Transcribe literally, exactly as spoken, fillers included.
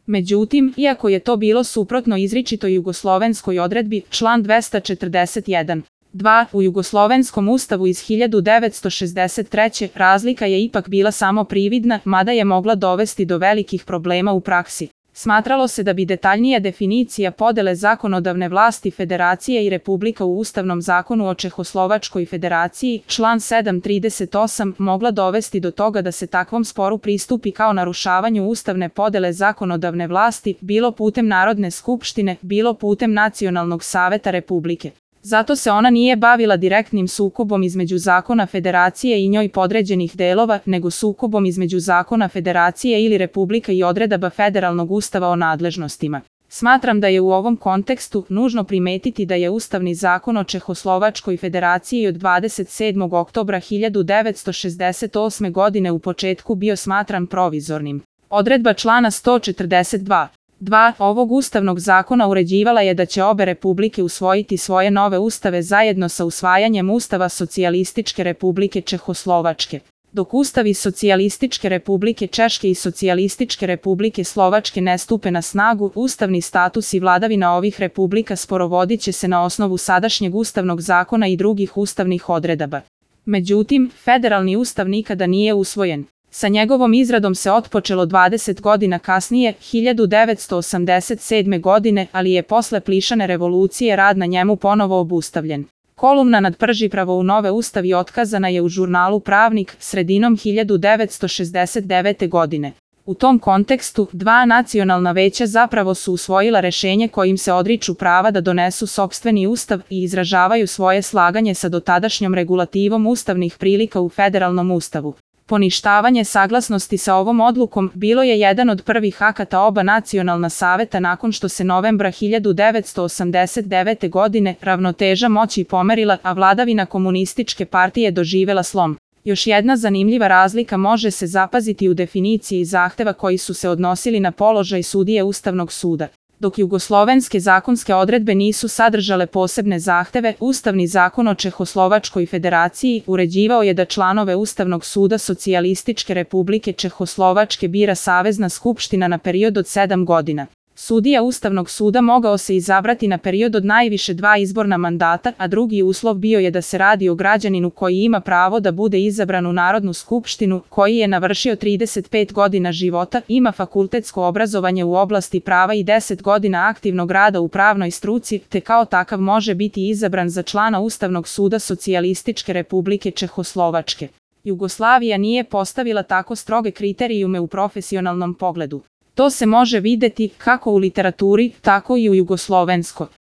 Međutim, iako je to bilo suprotno izričitoj jugoslovenskoj odredbi, član dvesta četrdeset jedan. dva. U Jugoslovenskom ustavu iz hiljadu devetsto šezdeset treće. razlika je ipak bila samo prividna, mada je mogla dovesti do velikih problema u praksi. Smatralo se da bi detaljnija definicija podele zakonodavne vlasti Federacije i Republika u Ustavnom zakonu o Čehoslovačkoj Federaciji, član sedam trideset osam, mogla dovesti do toga da se takvom sporu pristupi kao narušavanju ustavne podele zakonodavne vlasti, bilo putem Narodne skupštine, bilo putem Nacionalnog saveta Republike. Zato se ona nije bavila direktnim sukobom između zakona Federacije i njoj podređenih delova, nego sukobom između zakona Federacije ili Republika i odredaba Federalnog ustava o nadležnostima. Smatram da je u ovom kontekstu nužno primetiti da je Ustavni zakon o Čehoslovačkoj Federaciji od dvadeset sedmog oktobra hiljadu devetsto šezdeset osme. godine u početku bio smatran provizornim. Odredba člana sto četrdeset dva. dva. Ovog ustavnog zakona uređivala je da će obe republike usvojiti svoje nove ustave zajedno sa usvajanjem Ustava Socijalističke Republike Čehoslovačke. Dok ustavi Socijalističke Republike Češke i Socijalističke Republike Slovačke ne stupe na snagu, ustavni status i vladavina ovih republika sporovodit će se na osnovu sadašnjeg ustavnog zakona i drugih ustavnih odredaba. Međutim, federalni ustav nikada nije usvojen. Sa njegovom izradom se otpočelo dvadeset godina kasnije, hiljadu devetsto osamdeset sedme. godine, ali je posle Plišane revolucije rad na njemu ponovo obustavljen. Kolumna nad Pržipravo u nove ustavi otkazana je u žurnalu Pravnik sredinom hiljadu devetsto šezdeset devete. godine. U tom kontekstu, dva nacionalna veća zapravo su usvojila rešenje kojim se odriču prava da donesu sopstveni ustav i izražavaju svoje slaganje sa dotadašnjom regulativom ustavnih prilika u federalnom ustavu. Poništavanje saglasnosti sa ovom odlukom bilo je jedan od prvih akata oba nacionalna saveta nakon što se novembra hiljadu devetsto osamdeset devete. godine ravnoteža moći pomerila, a vladavina komunističke partije doživela slom. Još jedna zanimljiva razlika može se zapaziti u definiciji zahteva koji su se odnosili na položaj sudije Ustavnog suda. Dok jugoslovenske zakonske odredbe nisu sadržale posebne zahteve, Ustavni zakon o Čehoslovačkoj Federaciji uređivao je da članove Ustavnog suda Socijalističke Republike Čehoslovačke bira Savezna skupština na period od sedam godina. Sudija Ustavnog suda mogao se izabrati na period od najviše dva izborna mandata, a drugi uslov bio je da se radi o građaninu koji ima pravo da bude izabran u Narodnu skupštinu, koji je navršio trideset pet godina života, ima fakultetsko obrazovanje u oblasti prava i deset godina aktivnog rada u pravnoj struci, te kao takav može biti izabran za člana Ustavnog suda Socijalističke Republike Čehoslovačke. Jugoslavija nije postavila tako stroge kriterijume u profesionalnom pogledu. To se može videti kako u literaturi, tako i u jugoslovenskoj.